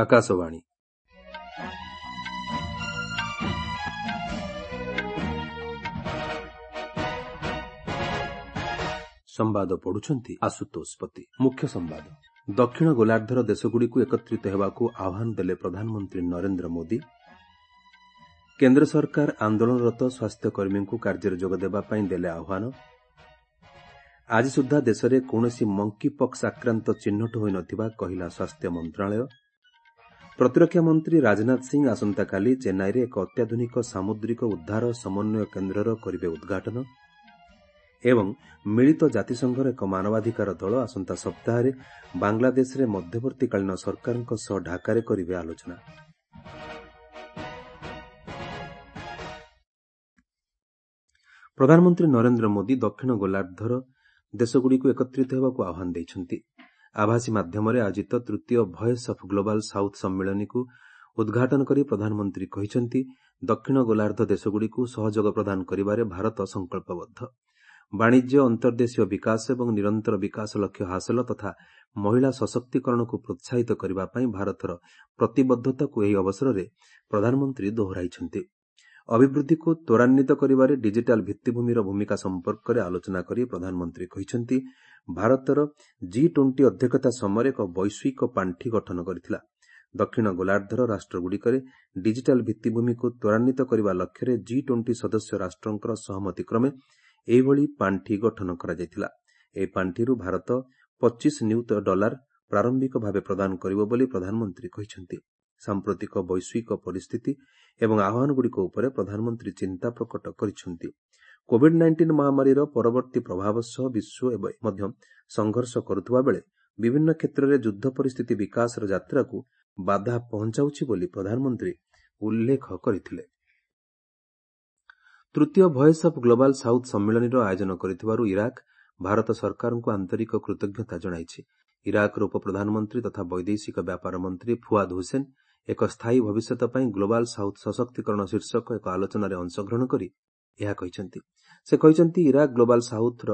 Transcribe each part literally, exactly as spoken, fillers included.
ଆକାଶବାଣୀ। ସମ୍ବାଦ ପଢୁଛନ୍ତି ଆଶୁତୋଷ ପତି। ମୁଖ୍ୟ ସମ୍ବାଦ। ଦକ୍ଷିଣ ଗୋଲାର୍ଦ୍ଧର ଦେଶଗୁଡ଼ିକୁ ଏକତ୍ରିତ ହେବାକୁ ଆହ୍ୱାନ ଦେଲେ ପ୍ରଧାନମନ୍ତ୍ରୀ ନରେନ୍ଦ୍ର ମୋଦି। କେନ୍ଦ୍ର ସରକାର ଆନ୍ଦୋଳନରତ ସ୍ୱାସ୍ଥ୍ୟକର୍ମୀଙ୍କୁ କାର୍ଯ୍ୟରେ ଯୋଗଦେବା ପାଇଁ ଦେଲେ ଆହ୍ୱାନ। ଆଜି ସୁଦ୍ଧା ଦେଶରେ କୌଣସି ମଙ୍କିପକ୍ସ ଆକ୍ରାନ୍ତ ଚିହ୍ନଟ ହୋଇନଥିବା କହିଲା ସ୍ୱାସ୍ଥ୍ୟ ମନ୍ତ୍ରଣାଳୟ। ପ୍ରତିରକ୍ଷା ମନ୍ତ୍ରୀ ରାଜନାଥ ସିଂ ଆସନ୍ତାକାଲି ଚେନ୍ନାଇରେ ଏକ ଅତ୍ୟାଧୁନିକ ସାମୁଦ୍ରିକ ଉଦ୍ଧାର ସମନ୍ୱୟ କେନ୍ଦ୍ରର କରିବେ ଉଦ୍ଘାଟନ। ଏବଂ ମିଳିତ ଜାତିସଂଘର ଏକ ମାନବାଧିକାର ଦଳ ଆସନ୍ତା ସପ୍ତାହରେ ବାଂଲାଦେଶରେ ମଧ୍ୟବର୍ତ୍ତୀକାଳୀନ ସରକାରଙ୍କ ସହ ଢାକାରେ କରିବେ ଆଲୋଚନା। ପ୍ରଧାନମନ୍ତ୍ରୀ ନରେନ୍ଦ୍ର ମୋଦି ଦକ୍ଷିଣ ଗୋଲାର୍ଦ୍ଧର ଦେଶଗୁଡ଼ିକୁ ଏକତ୍ରିତ ହେବାକୁ ଆହ୍ୱାନ ଦେଇଛନ୍ତି। ଆଭାସୀ ମାଧ୍ୟମରେ ଆୟୋଜିତ ତୃତୀୟ ଭଏସ୍ ଅଫ୍ ଗ୍ଲୋବାଲ୍ ସାଉଥ୍ ସମ୍ମିଳନୀକୁ ଉଦ୍ଘାଟନ କରି ପ୍ରଧାନମନ୍ତ୍ରୀ କହିଛନ୍ତି, ଦକ୍ଷିଣ ଗୋଲାର୍ଦ୍ଧ ଦେଶଗୁଡ଼ିକୁ ସହଯୋଗ ପ୍ରଦାନ କରିବାରେ ଭାରତ ସଂକଳ୍ପବଦ୍ଧ। ବାଣିଜ୍ୟ, ଅନ୍ତର୍ଦେଶୀୟ ବିକାଶ ଏବଂ ନିରନ୍ତର ବିକାଶ ଲକ୍ଷ୍ୟ ହାସଲ ତଥା ମହିଳା ସଶକ୍ତିକରଣକୁ ପ୍ରୋତ୍ସାହିତ କରିବା ପାଇଁ ଭାରତର ପ୍ରତିବଦ୍ଧତାକୁ ଏହି ଅବସରରେ ପ୍ରଧାନମନ୍ତ୍ରୀ ଦୋହରାଇଛନ୍ତି। ଅଭିବୃଦ୍ଧିକୁ ତ୍ୱରାନ୍ୱିତ କରିବାରେ ଡିଜିଟାଲ ଭିତ୍ତିଭୂମିର ଭୂମିକା ସମ୍ପର୍କରେ ଆଲୋଚନା କରି ପ୍ରଧାନମନ୍ତ୍ରୀ କହିଛନ୍ତି, ଭାରତର ଜି ଟ୍ୱେଣ୍ଟି ଅଧ୍ୟକ୍ଷତା ସମୟରେ ଏକ ବୈଶ୍ୱିକ ପାଣ୍ଠି ଗଠନ କରିଥିଲା। ଦକ୍ଷିଣ ଗୋଲାର୍ଦ୍ଧର ରାଷ୍ଟ୍ରଗୁଡ଼ିକରେ ଡିଜିଟାଲ ଭିତ୍ତିଭୂମିକୁ ତ୍ୱରାନ୍ୱିତ କରିବା ଲକ୍ଷ୍ୟରେ ଜି ଟ୍ୱେଣ୍ଟି ସଦସ୍ୟ ରାଷ୍ଟ୍ରଙ୍କର ସହମତି କ୍ରମେ ଏହିଭଳି ପାଣ୍ଠି ଗଠନ କରାଯାଇଥିଲା। ଏହି ପାଣ୍ଠିରୁ ଭାରତ ପଚିଶ ନିୟୁତ ଡଲାର ପ୍ରାରମ୍ଭିକ ଭାବେ ପ୍ରଦାନ କରିବ ବୋଲି ପ୍ରଧାନମନ୍ତ୍ରୀ କହିଛନ୍ତି। ସାମ୍ପ୍ରତିକ ବୈଶ୍ୱିକ ପରିସ୍ଥିତି ଏବଂ ଆହ୍ୱାନଗୁଡ଼ିକ ଉପରେ ପ୍ରଧାନମନ୍ତ୍ରୀ ଚିନ୍ତା ପ୍ରକଟ କରିଛନ୍ତି। କୋଭିଡ୍ ନାଇଣ୍ଟିନ୍ ମହାମାରୀର ପରବର୍ତ୍ତୀ ପ୍ରଭାବ ସହ ବିଶ୍ୱ ଏବେ ମଧ୍ୟ ସଂଘର୍ଷ କରୁଥିବା ବେଳେ ବିଭିନ୍ନ କ୍ଷେତ୍ରରେ ଯୁଦ୍ଧ ପରିସ୍ଥିତି ବିକାଶର ଯାତ୍ରାକୁ ବାଧା ପହଞ୍ଚାଉଛି ବୋଲି ପ୍ରଧାନମନ୍ତ୍ରୀ ଉଲ୍ଲେଖ କରିଥିଲେ। ତୃତୀୟ ଭଏସ୍ ଅଫ୍ ଗ୍ଲୋବାଲ୍ ସାଉଥ୍ ସମ୍ମିଳନୀର ଆୟୋଜନ କରିଥିବାରୁ ଇରାକ ଭାରତ ସରକାରଙ୍କୁ ଆନ୍ତରିକ କୃତଜ୍ଞତା ଜଣାଇଛି। ଇରାକର ଉପପ୍ରଧାନମନ୍ତ୍ରୀ ତଥା ବୈଦେଶିକ ବ୍ୟାପାର ମନ୍ତ୍ରୀ ଫୁଆଦ ହୁସେନ ଏକ ସ୍ଥାୟୀ ଭବିଷ୍ୟତ ପାଇଁ ଗ୍ଲୋବାଲ୍ ସାଉଥ୍ ସଶକ୍ତିକରଣ ଶୀର୍ଷକ ଏକ ଆଲୋଚନାରେ ଅଂଶଗ୍ରହଣ କରି ଏହା କହିଛନ୍ତି। ସେ କହିଛନ୍ତି, ଇରାକ ଗ୍ଲୋବାଲ୍ ସାଉଥ୍ର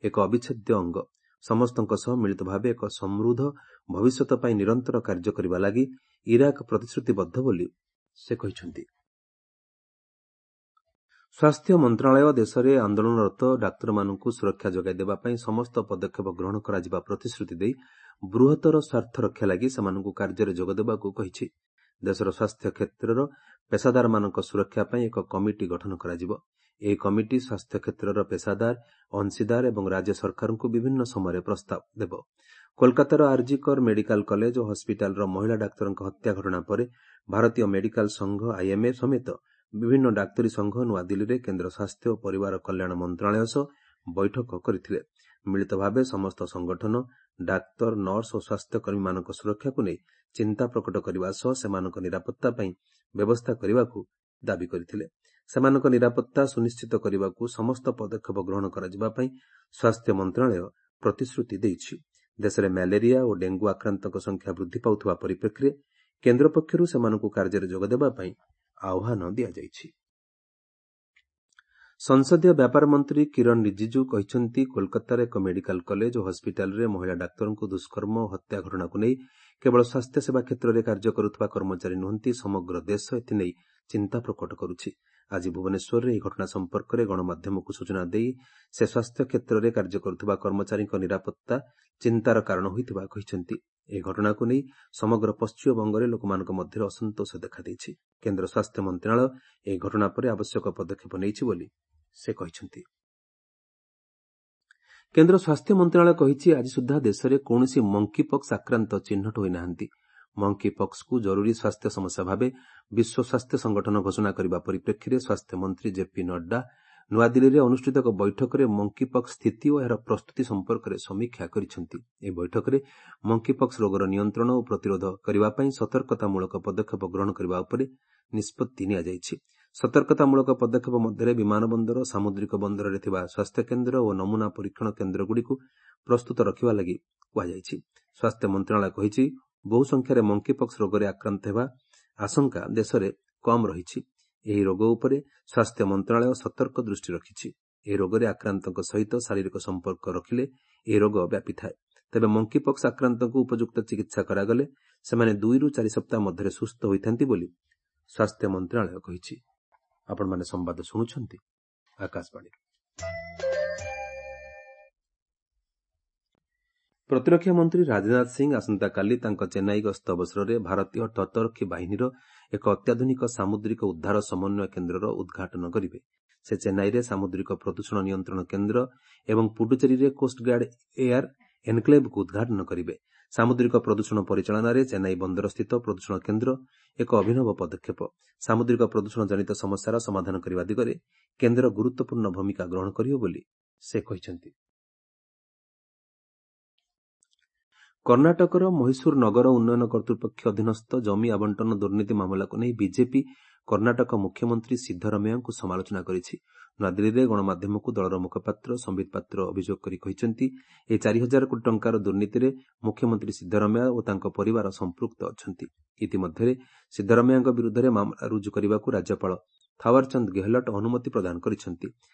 ଏକ ଅବିଚ୍ଛେଦ୍ୟ ଅଙ୍ଗ। ସମସ୍ତଙ୍କ ସହ ମିଳିତ ଭାବେ ଏକ ସମୃଦ୍ଧ ଭବିଷ୍ୟତ ପାଇଁ ନିରନ୍ତର କାର୍ଯ୍ୟ କରିବା ଲାଗି ଇରାକ ପ୍ରତିଶ୍ରୁତିବଦ୍ଧ ବୋଲି ସେ କହିଛନ୍ତି। ସ୍ୱାସ୍ଥ୍ୟ ମନ୍ତ୍ରଣାଳୟ ଦେଶରେ ଆନ୍ଦୋଳନରତ ଡାକ୍ତରମାନଙ୍କୁ ସୁରକ୍ଷା ଯୋଗାଇ ଦେବା ପାଇଁ ସମସ୍ତ ପଦକ୍ଷେପ ଗ୍ରହଣ କରାଯିବା ପ୍ରତିଶ୍ରୁତି ଦେଇ ବୃହତ୍ତର ସ୍ୱାର୍ଥ ରକ୍ଷା ଲାଗି ସେମାନଙ୍କୁ କାର୍ଯ୍ୟରେ ଯୋଗଦେବାକୁ କହିଛି। ଦେଶର ସ୍ୱାସ୍ଥ୍ୟ କ୍ଷେତ୍ରର ପେସାଦାରମାନଙ୍କ ସୁରକ୍ଷା ପାଇଁ ଏକ କମିଟି ଗଠନ କରାଯିବ। ଏହି କମିଟି ସ୍ୱାସ୍ଥ୍ୟ କ୍ଷେତ୍ରର ପେସାଦାର, ଅଂଶୀଦାର ଏବଂ ରାଜ୍ୟ ସରକାରଙ୍କୁ ବିଭିନ୍ନ ସମୟରେ ପ୍ରସ୍ତାବ ଦେବ। କୋଲକାତାର ଆରଜି କର ମେଡିକାଲ କଲେଜ ଓ ହସ୍ପିଟାଲର ମହିଳା ଡାକ୍ତରଙ୍କ ହତ୍ୟା ଘଟଣା ପରେ ଭାରତୀୟ ମେଡିକାଲ ସଂଘ ଆଇଏମ୍ଏ ସମେତ ବିଭିନ୍ନ ଡାକ୍ତରୀ ସଂଘ ନୂଆଦିଲ୍ଲୀରେ କେନ୍ଦ୍ର ସ୍ୱାସ୍ଥ୍ୟ ଓ ପରିବାର କଲ୍ୟାଣ ମନ୍ତ୍ରଣାଳୟ ସହ ବୈଠକ କରିଥିଲେ। ମିଳିତ ଭାବେ ସମସ୍ତ ସଂଗଠନ ଡାକ୍ତର, ନର୍ସ ଓ ସ୍ୱାସ୍ଥ୍ୟକର୍ମୀମାନଙ୍କ ସୁରକ୍ଷାକୁ ନେଇ ଚିନ୍ତା ପ୍ରକଟ କରିବା ସହ ସେମାନଙ୍କ ନିରାପତ୍ତା ପାଇଁ ବ୍ୟବସ୍ଥା କରିବାକୁ ଦାବି କରିଥିଲେ। ସେମାନଙ୍କ ନିରାପତ୍ତା ସୁନିଶ୍ଚିତ କରିବାକୁ ସମସ୍ତ ପଦକ୍ଷେପ ଗ୍ରହଣ କରାଯିବା ପାଇଁ ସ୍ୱାସ୍ଥ୍ୟ ମନ୍ତ୍ରଣାଳୟ ପ୍ରତିଶ୍ରୁତି ଦେଇଛି। ଦେଶରେ ମ୍ୟାଲେରିଆ ଓ ଡେଙ୍ଗୁ ଆକ୍ରାନ୍ତଙ୍କ ସଂଖ୍ୟା ବୃଦ୍ଧି ପାଉଥିବା ପରିପ୍ରେକ୍ଷୀରେ କେନ୍ଦ୍ର ପକ୍ଷରୁ ସେମାନଙ୍କୁ କାର୍ଯ୍ୟରେ ଯୋଗଦେବା ପାଇଁ ଆହ୍ୱାନ ଦିଆଯାଇଛି। ସଂସଦୀୟ ବ୍ୟାପାର ମନ୍ତ୍ରୀ କିରଣ ରିଜିଜୁ କହିଛନ୍ତି, କୋଲକାତାର ଏକ ମେଡିକାଲ କଲେଜ ଓ ହସ୍ପିଟାଲରେ ମହିଳା ଡାକ୍ତରଙ୍କୁ ଦୁଷ୍କର୍ମ ଓ ହତ୍ୟା ଘଟଣାକୁ ନେଇ କେବଳ ସ୍ୱାସ୍ଥ୍ୟସେବା କ୍ଷେତ୍ରରେ କାର୍ଯ୍ୟ କରୁଥିବା କର୍ମଚାରୀ ନୁହନ୍ତି, ସମଗ୍ର ଦେଶ ଏଥିନେଇ ଚିନ୍ତା ପ୍ରକଟ କରୁଛି। ଆଜି ଭୁବନେଶ୍ୱରରେ ଏହି ଘଟଣା ସମ୍ପର୍କରେ ଗଣମାଧ୍ୟମକୁ ସୂଚନା ଦେଇ ସେ ସ୍ୱାସ୍ଥ୍ୟ କ୍ଷେତ୍ରରେ କାର୍ଯ୍ୟ କରୁଥିବା କର୍ମଚାରୀଙ୍କ ନିରାପତ୍ତା ଚିନ୍ତାର କାରଣ ହୋଇଥିବା କହିଛନ୍ତି। ଏହି ଘଟଣାକୁ ନେଇ ସମଗ୍ର ପଶ୍ଚିମବଙ୍ଗରେ ଲୋକମାନଙ୍କ ମଧ୍ୟରେ ଅସନ୍ତୋଷ ଦେଖାଦେଇଛି। କେନ୍ଦ୍ର ସ୍ୱାସ୍ଥ୍ୟ ମନ୍ତ୍ରଣାଳୟ ଏହି ଘଟଣା ପରେ ଆବଶ୍ୟକ ପଦକ୍ଷେପ ନେଇଛି ବୋଲି ସେ କହିଛନ୍ତି। କେନ୍ଦ୍ର ସ୍ୱାସ୍ଥ୍ୟ ମନ୍ତ୍ରଣାଳୟ କହିଛି, ଆଜି ସୁଦ୍ଧା ଦେଶରେ କୌଣସି ମଙ୍କିପକ୍ସ ଆକ୍ରାନ୍ତ ଚିହ୍ନଟ ହୋଇନାହାନ୍ତି। ମଙ୍କିପକ୍ସକୁ ଜରୁରୀ ସ୍ୱାସ୍ଥ୍ୟ ସମସ୍ୟା ଭାବେ ବିଶ୍ୱ ସ୍ୱାସ୍ଥ୍ୟ ସଂଗଠନ ଘୋଷଣା କରିବା ପରିପ୍ରେକ୍ଷୀରେ ସ୍ୱାସ୍ଥ୍ୟମନ୍ତ୍ରୀ ଜେପି ନଡ୍ଡା ନୂଆଦିଲ୍ଲୀରେ ଅନୁଷ୍ଠିତ ଏକ ବୈଠକରେ ମଙ୍କିପକ୍ସ ସ୍ଥିତି ଓ ଏହାର ପ୍ରସ୍ତୁତି ସମ୍ପର୍କରେ ସମୀକ୍ଷା କରିଛନ୍ତି। ଏହି ବୈଠକରେ ମଙ୍କିପକ୍ସ ରୋଗର ନିୟନ୍ତ୍ରଣ ଓ ପ୍ରତିରୋଧ କରିବା ପାଇଁ ସତର୍କତାମୂଳକ ପଦକ୍ଷେପ ଗ୍ରହଣ କରିବା ଉପରେ ନିଷ୍ପତ୍ତି ନିଆଯାଇଛି। ସତର୍କତାମୂଳକ ପଦକ୍ଷେପ ମଧ୍ୟରେ ବିମାନ ବନ୍ଦର, ସାମୁଦ୍ରିକ ବନ୍ଦରରେ ଥିବା ସ୍ୱାସ୍ଥ୍ୟକେନ୍ଦ୍ର ଓ ନମୁନା ପରୀକ୍ଷଣ କେନ୍ଦ୍ରଗୁଡ଼ିକୁ ପ୍ରସ୍ତୁତ ରଖିବା ଲାଗି କୁହାଯାଇଛି। ସ୍ୱାସ୍ଥ୍ୟ ମନ୍ତ୍ରଣାଳୟ କହିଛି, ବହୁ ସଂଖ୍ୟାରେ ମଙ୍କିପକ୍ସ ରୋଗରେ ଆକ୍ରାନ୍ତ ହେବା ଆଶଙ୍କା ଦେଶରେ କମ୍ ରହିଛି। ଏହି ରୋଗ ଉପରେ ସ୍ୱାସ୍ଥ୍ୟ ମନ୍ତ୍ରଣାଳୟ ସତର୍କ ଦୃଷ୍ଟି ରଖିଛି। ଏହି ରୋଗରେ ଆକ୍ରାନ୍ତଙ୍କ ସହିତ ଶାରୀରିକ ସମ୍ପର୍କ ରଖିଲେ ଏହି ରୋଗ ବ୍ୟାପିଥାଏ। ତେବେ ମଙ୍କିପକ୍ସ ଆକ୍ରାନ୍ତଙ୍କୁ ଉପଯୁକ୍ତ ଚିକିତ୍ସା କରାଗଲେ ସେମାନେ ଦୁଇରୁ ଚାରି ସପ୍ତାହ ମଧ୍ୟରେ ସୁସ୍ଥ ହୋଇଥାନ୍ତି ବୋଲି ସ୍ୱାସ୍ଥ୍ୟ ମନ୍ତ୍ରଣାଳୟ କହିଛି। ଆପଣମାନେ ସମ୍ବାଦ ଶୁଣୁଛନ୍ତି ଆକାଶବାଣୀରୁ। ପ୍ରତିରକ୍ଷା ମନ୍ତ୍ରୀ ରାଜନାଥ ସିଂ ଆସନ୍ତାକାଲି ତାଙ୍କ ଚେନ୍ନାଇ ଗସ୍ତ ଅବସରରେ ଭାରତୀୟ ତଟରକ୍ଷୀ ବାହିନୀର ଏକ ଅତ୍ୟାଧୁନିକ ସାମୁଦ୍ରିକ ଉଦ୍ଧାର ସମନ୍ୱୟ କେନ୍ଦ୍ରର ଉଦ୍ଘାଟନ କରିବେ। ସେ ଚେନ୍ନାଇରେ ସାମୁଦ୍ରିକ ପ୍ରଦୂଷଣ ନିୟନ୍ତ୍ରଣ କେନ୍ଦ୍ର ଏବଂ ପୁଡୁଚେରୀରେ କୋଷ୍ଟଗାର୍ଡ ଏୟାର ଏନ୍କ୍ଲେଭ୍କୁ ଉଦ୍ଘାଟନ କରିବେ। ସାମୁଦ୍ରିକ ପ୍ରଦୂଷଣ ପରିଚାଳନାରେ ଚେନ୍ନାଇ ବନ୍ଦରସ୍ଥିତ ପ୍ରଦୂଷଣ କେନ୍ଦ୍ର ଏକ ଅଭିନବ ପଦକ୍ଷେପ। ସାମୁଦ୍ରିକ ପ୍ରଦୂଷଣ ଜନିତ ସମସ୍ୟାର ସମାଧାନ କରିବା ଦିଗରେ କେନ୍ଦ୍ର ଗୁରୁତ୍ୱପୂର୍ଣ୍ଣ ଭୂମିକା ଗ୍ରହଣ କରିବ ବୋଲି ସେ କହିଛନ୍ତି। କର୍ଣ୍ଣାଟକର ମହୀଶୂର ନଗର ଉନ୍ନୟନ କର୍ତ୍ତୃପକ୍ଷ ଅଧୀନସ୍ଥ ଜମି ଆବଣ୍ଟନ ଦୁର୍ନୀତି ମାମଲାକୁ ନେଇ ବିଜେପି କର୍ଣ୍ଣାଟକ ମୁଖ୍ୟମନ୍ତ୍ରୀ ସିଦ୍ଧରମେୟାଙ୍କୁ ସମାଲୋଚନା କରିଛି। ନୂଆଦିଲ୍ଲୀରେ ଗଣମାଧ୍ୟମକୁ ଦଳର ମୁଖପାତ୍ର ସମ୍ବିତ ପାତ୍ର ଅଭିଯୋଗ କରି କହିଛନ୍ତି, ଏହି ଚାରି ହଜାର କୋଟି ଟଙ୍କାର ଦୁର୍ନୀତିରେ ମୁଖ୍ୟମନ୍ତ୍ରୀ ସିଦ୍ଧରମେୟା ଓ ତାଙ୍କ ପରିବାର ସମ୍ପୃକ୍ତ ଅଛନ୍ତି। ଇତିମଧ୍ୟରେ ସିଦ୍ଧରମେୟାଙ୍କ ବିରୁଦ୍ଧରେ ମାମଲା ରୁଜୁ କରିବାକୁ ରାଜ୍ୟପାଳ ଥାୱାରଚନ୍ଦ ଗେହଲଟ ଅନୁମତି ପ୍ରଦାନ କରିଛନ୍ତି।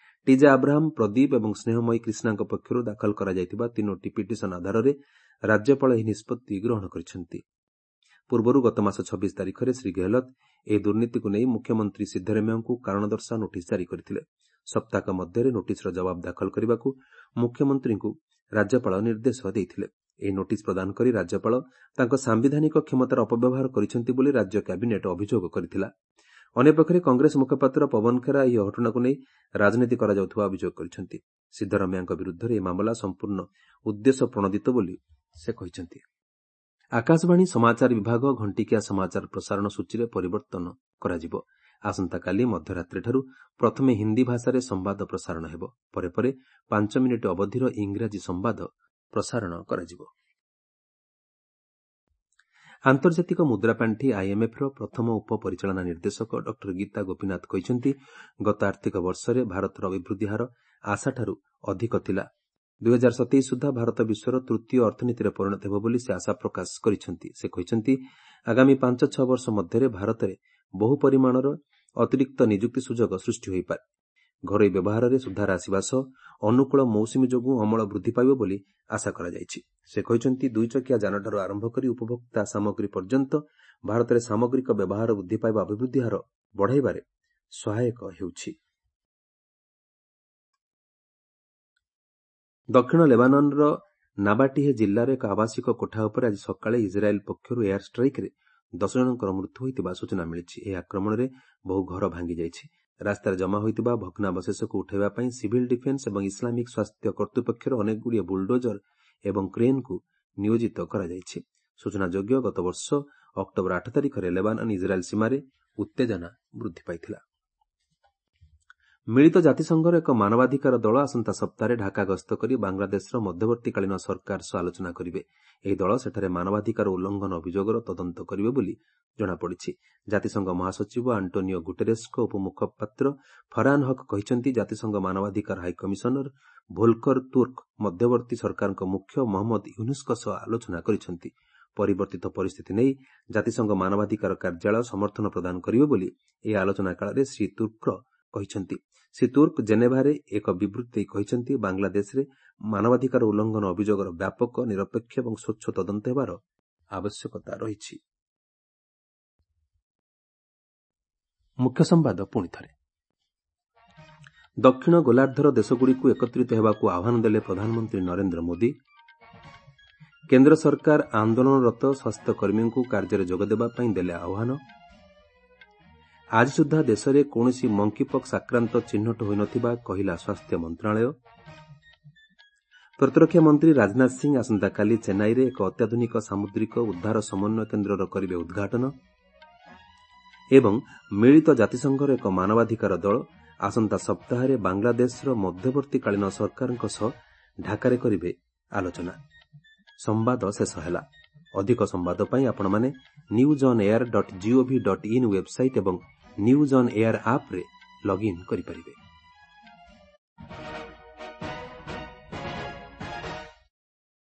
ଟିଜା ଆବ୍ରାହମ, ପ୍ରଦୀପ ଏବଂ ସ୍ନେହମୟୀ କ୍ରିଷ୍ଣାଙ୍କ ପକ୍ଷରୁ ଦାଖଲ କରାଯାଇଥିବା ତିନୋଟି ପିଟିସନ ଆଧାରରେ ରାଜ୍ୟପାଳ ଏହି ନିଷ୍ପତ୍ତି ଗ୍ରହଣ କରିଛନ୍ତି। ପୂର୍ବରୁ ଗତମାସ ଛବିଶ ତାରିଖରେ ଶ୍ରୀ ଗେହଲତ ଏହି ଦୁର୍ନୀତିକୁ ନେଇ ମୁଖ୍ୟମନ୍ତ୍ରୀ ସିଦ୍ଧରମେୟାଙ୍କୁ କାରଣ ଦର୍ଶାଅ ନୋଟିସ୍ ଜାରି କରିଥିଲେ। ସପ୍ତାହକ ମଧ୍ୟରେ ନୋଟିସ୍ର ଜବାବ ଦାଖଲ କରିବାକୁ ମୁଖ୍ୟମନ୍ତ୍ରୀଙ୍କୁ ରାଜ୍ୟପାଳ ନିର୍ଦ୍ଦେଶ ଦେଇଥିଲେ। ଏହି ନୋଟିସ୍ ପ୍ରଦାନ କରି ରାଜ୍ୟପାଳ ତାଙ୍କ ସାମ୍ବିଧାନିକ କ୍ଷମତାର ଅପବ୍ୟବହାର କରିଛନ୍ତି ବୋଲି ରାଜ୍ୟ କ୍ୟାବିନେଟ୍ ଅଭିଯୋଗ କରିଥିଲା। ଅନ୍ୟପକ୍ଷରେ କଂଗ୍ରେସ ମୁଖପାତ୍ର ପବନ ଖେରା ଏହି ଘଟଣାକୁ ନେଇ ରାଜନୀତି କରାଯାଉଥିବା ଅଭିଯୋଗ କରିଛନ୍ତି। ସିଦ୍ଧରମେୟାଙ୍କ ବିରୁଦ୍ଧରେ ଏହି ମାମଲା ସମ୍ପୂର୍ଣ୍ଣ ଉଦ୍ଦେଶ୍ୟ ପ୍ରଣୋଦିତ ବୋଲି ସେ କହିଛନ୍ତି। ଆକାଶବାଣୀ ସମାଚାର ବିଭାଗ ଘଣ୍ଟିକିଆ ସମାଚାର ପ୍ରସାରଣ ସୂଚୀରେ ପରିବର୍ତ୍ତନ କରାଯିବ। ଆସନ୍ତାକାଲି ମଧ୍ୟରାତ୍ରିଠାରୁ ପ୍ରଥମେ ହିନ୍ଦୀ ଭାଷାରେ ସମ୍ବାଦ ପ୍ରସାରଣ ହେବ। ପରେ ପରେ ପାଞ୍ଚ ମିନିଟ୍ ଅବଧିର ଇଂରାଜୀ ସମ୍ବାଦ ପ୍ରସାରଣ କରାଯିବ। ଆନ୍ତର୍ଜାତିକ ମୁଦ୍ରାପାଣ୍ଠି ଆଇଏମ୍ଏଫ୍ର ପ୍ରଥମ ଉପପରିଚାଳନା ନିର୍ଦ୍ଦେଶକ ଡକ୍ଟର ଗୀତା ଗୋପୀନାଥ କହିଛନ୍ତି, ଗତ ଆର୍ଥିକ ବର୍ଷରେ ଭାରତର ଅଭିବୃଦ୍ଧି ହାର ଆଶାଠାରୁ ଅଧିକ ଥିଲା। ଦୁଇ ହଜାର ସତେଇଶ ସୁଦ୍ଧା ଭାରତ ବିଶ୍ୱର ତୃତୀୟ ଅର୍ଥନୀତିରେ ପରିଣତ ହେବ ବୋଲି ସେ ଆଶା ପ୍ରକାଶ କରିଛନ୍ତି। ସେ କହିଛନ୍ତି, ଆଗାମୀ ପାଞ୍ଚ ଛଅ ବର୍ଷ ମଧ୍ୟରେ ଭାରତରେ ବହୁ ପରିମାଣର ଅତିରିକ୍ତ ନିଯୁକ୍ତି ସୁଯୋଗ ସୃଷ୍ଟି ହୋଇପାରେ। ଘରୋଇ ବ୍ୟବହାରରେ ସୁଧାର ଆସିବା ସହ ଅନୁକୂଳ ମୌସୁମୀ ଯୋଗୁଁ ଅମଳ ବୃଦ୍ଧି ପାଇବ ବୋଲି ଆଶା କରାଯାଇଛି। ସେ କହିଛନ୍ତି, ଦୁଇଚକିଆ ଯାନଠାରୁ ଆରମ୍ଭ କରି ଉପଭୋକ୍ତା ସାମଗ୍ରୀ ପର୍ଯ୍ୟନ୍ତ ଭାରତରେ ସାମଗ୍ରିକ ବ୍ୟବହାର ବୃଦ୍ଧି ପାଇବା ଅଭିବୃଦ୍ଧି ହାର ବଢ଼ାଇବାରେ ସହାୟକ ହେଉଛି। ଦକ୍ଷିଣ ଲେବାନନ୍ର ନାବାଟିହେ ଜିଲ୍ଲାର ଏକ ଆବାସିକ କୋଠା ଉପରେ ଆଜି ସକାଳେ ଇସ୍ରାଏଲ୍ ପକ୍ଷରୁ ଏୟାର ଷ୍ଟ୍ରାଇକ୍ରେ ଦଶ ଜଣଙ୍କର ମୃତ୍ୟୁ ହୋଇଥିବା ସୂଚନା ମିଳିଛି। ଏହି ଆକ୍ରମଣରେ ବହୁ ଘର ଭାଙ୍ଗିଯାଇଛି। ରାସ୍ତାରେ ଜମା ହୋଇଥିବା ଭଗ୍ନାବଶେଷକୁ ଉଠାଇବା ପାଇଁ ସିଭିଲ୍ ଡିଫେନ୍ସ ଏବଂ ଇସଲାମିକ୍ ସ୍ୱାସ୍ଥ୍ୟ କର୍ତ୍ତୃପକ୍ଷର ଅନେକଗୁଡ଼ିଏ ବୁଲଡୋଜର ଏବଂ କ୍ରେନ୍କୁ ନିୟୋଜିତ କରାଯାଇଛି। ସୂଚନାଯୋଗ୍ୟ, ଗତବର୍ଷ ଅକ୍ଟୋବର ଆଠ ତାରିଖରେ ଲେବାନନ୍ ଇସ୍ରାଏଲ୍ ସୀମାରେ ଉତ୍ତେଜନା ବୃଦ୍ଧି ପାଇଥିଲା। ମିଳିତ ଜାତିସଂଘର ଏକ ମାନବାଧିକାର ଦଳ ଆସନ୍ତା ସପ୍ତାହରେ ଢାକା ଗସ୍ତ କରି ବାଂଲାଦେଶର ମଧ୍ୟବର୍ତ୍ତୀକାଳୀନ ସରକାର ସହ ଆଲୋଚନା କରିବେ। ଏହି ଦଳ ସେଠାରେ ମାନବାଧିକାର ଉଲ୍ଲଂଘନ ଅଭିଯୋଗର ତଦନ୍ତ କରିବେ ବୋଲି ଜଣାପଡ଼ିଛି। ଜାତିସଂଘ ମହାସଚିବ ଆଣ୍ଟୋନିଓ ଗୁଟେରେସ୍ଙ୍କ ଉପମୁଖପାତ୍ର ଫରହାନ ହକ୍ କହିଛନ୍ତି, ଜାତିସଂଘ ମାନବାଧିକାର ହାଇକମିଶନର ଭୋଲକର ତୁର୍କ ମଧ୍ୟବର୍ତ୍ତୀ ସରକାରଙ୍କ ମୁଖ୍ୟ ମହମ୍ମଦ ୟୁନୁସ୍ଙ୍କ ସହ ଆଲୋଚନା କରିଛନ୍ତି। ପରିବର୍ତ୍ତିତ ପରିସ୍ଥିତି ନେଇ ଜାତିସଂଘ ମାନବାଧିକାର କାର୍ଯ୍ୟାଳୟ ସମର୍ଥନ ପ୍ରଦାନ କରିବ ବୋଲି ଏହି ଆଲୋଚନା କାଳରେ ଶ୍ରୀ ତୁର୍କ କହିଛନ୍ତି। ଶ୍ରୀ ତୁର୍କ ଜେନେଭାରେ ଏକ ବିବୃତ୍ତି ଦେଇ କହିଛନ୍ତି, ବାଂଲାଦେଶରେ ମାନବାଧିକାର ଉଲ୍ଲଂଘନ ଅଭିଯୋଗର ବ୍ୟାପକ, ନିରପେକ୍ଷ ଏବଂ ସ୍ୱଚ୍ଛ ତଦନ୍ତ ହେବାର ଆବଶ୍ୟକତା ରହିଛି। ମୁଖ୍ୟ ସମ୍ବାଦ ପୁଣି ଥରେ। ଦକ୍ଷିଣ ଗୋଲାର୍ଦ୍ଧର ଦେଶଗୁଡ଼ିକୁ ଏକତ୍ରିତ ହେବାକୁ ଆହ୍ୱାନ ଦେଲେ ପ୍ରଧାନମନ୍ତ୍ରୀ ନରେନ୍ଦ୍ର ମୋଦି। କେନ୍ଦ୍ର ସରକାର ଆନ୍ଦୋଳନରତ ସ୍ୱାସ୍ଥ୍ୟକର୍ମୀଙ୍କୁ କାର୍ଯ୍ୟରେ ଯୋଗଦେବା ପାଇଁ ଦେଲେ ଆହ୍ୱାନ। ଆଜି ସୁଦ୍ଧା ଦେଶରେ କୌଣସି ମଙ୍କିପକ୍ସ ଆକ୍ରାନ୍ତ ଚିହ୍ନଟ ହୋଇନଥିବା କହିଲା ସ୍ୱାସ୍ଥ୍ୟ ମନ୍ତ୍ରଣାଳୟ। ପ୍ରତିରକ୍ଷା ମନ୍ତ୍ରୀ ରାଜନାଥ ସିଂ ଆସନ୍ତାକାଲି ଚେନ୍ନାଇରେ ଏକ ଅତ୍ୟାଧୁନିକ ସାମୁଦ୍ରିକ ଉଦ୍ଧାର ସମନ୍ୱୟ କେନ୍ଦ୍ରର କରିବେ ଉଦ୍ଘାଟନ। ଏବଂ ମିଳିତ ଜାତିସଂଘର ଏକ ମାନବାଧିକାର ଦଳ ଆସନ୍ତା ସପ୍ତାହରେ ବାଂଲାଦେଶର ମଧ୍ୟବର୍ତ୍ତୀକାଳୀନ ସରକାରଙ୍କ ସହ ଢାକାରେ କରିବେ ଆଲୋଚନା। ସମ୍ବାଦ ଶେଷ ହେଲା। ଅଧିକ ସମ୍ବାଦ ପାଇଁ ଆପଣମାନେ news on air dot gov dot in website ଏବଂ ନ୍ୟୁଜ୍ ଅନ୍ ଏୟାର ଆପ୍ରେ ଲଗ୍ଇନ୍ କରିପାରିବେ।